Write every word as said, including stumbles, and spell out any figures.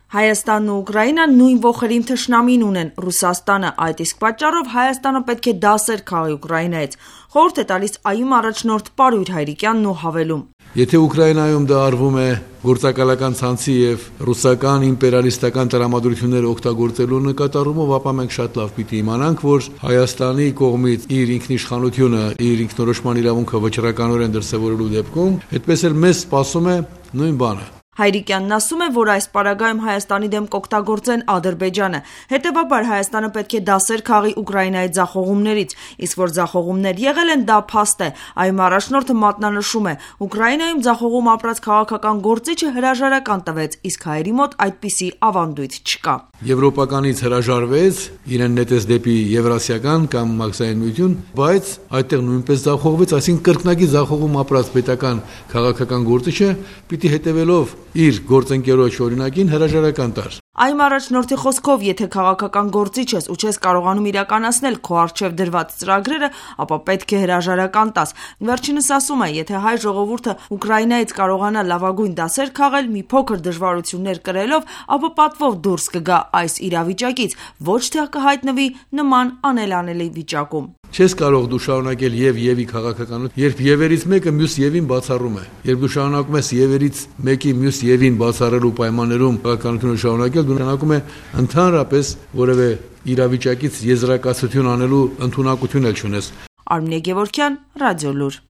Հայաստանն ու Ուկրաինան նույն ոխերիմ թշնամին ունեն՝ Ռուսաստանը, այդ իսկ պատճառով Հայաստանը պետք է դասեր քաղի Ուկրաինայից։ Խորհուրդ է տալիս ԱՅՈ-մ առաջնորդ Պարույր Հայրիկյանն ու հավելում. Եթե Ուկրաինայում դա արվում է գործակալական ցանցի եւ ռուսական իմպերիալիստական տրամադրությունները օգտագործելու նկատառումով, ապա մենք շատ լավ պիտի իմանանք, որ Հայաստանի կողմից իր ինքնիշխանությունը, իր ինքնորոշման իրավունքը վճռականորեն դրսևորելու դեպքում, այդպես էլ մեզ սպասում է նույն բանը։ Հայրիկյանն ասում է, որ այս պարագայում Հայաստանի դեմ կօգտագործեն Ադրբեջանը, հետևաբար Հայաստանը պետք է դասեր քաղի Ուկրաինայի ձախողումներից, իսկ որ ձախողումներ եղել են, դա փաստ է։ ԱՅՈ-մ առաջնորդը մատնանշում է, Ուկրաինայում ձախողում ապրած քաղաքական գործիչը հրաժարական տվեց, իսկ հայերի մոտ այդպիսի ավանդույթ չկա։ Եվրոպականից հրաժարվեց, իրեն նետեց դեպի Եվրասիական կամ Մաքսային միություն, բայց այդտեղ նույնպես ձախողվեց, այսինքն կրկնակի ձախողում ապրած պետական քաղաքական գործիչը պիտի հետևելով իր գործընկերոջ օրինակին հրաժարական տար։ ԱՅՈ-մ առաջնորդի խոսքով, եթե քաղաքական գործիչ ես ու չես կարողանում իրականացնել քո առջև դրված ծրագրերը, ապա պետք է հրաժարական տաս։ Վերջինս ասում է, եթե հայ ժողովուրդը Ուկրաինայից կարողանա լավագույն դասեր քաղել մի փոքր դժվարություններ կրելով, ապա պատվով դուրս կգա այս իրավիճակից, ոչ թե կհայտնվի նման անելանելի վիճակում։ Չես կարող դու շարունակել եւ եւի քաղաքականություն, երբ եւերից մեկը մյուս եւին բացառում է։ Երբ դու շարունակում ես եւերից մեկի մյուս եւին բացառելու պայմաններում քաղաքականությունը շարունակել, դու նշանակում է ընդհանրապես որևէ իրավիճակից եզրակացություն անելու ընդունակություն էլ չունես։ Արմինե Գևորգյան, Ռադիոլուր։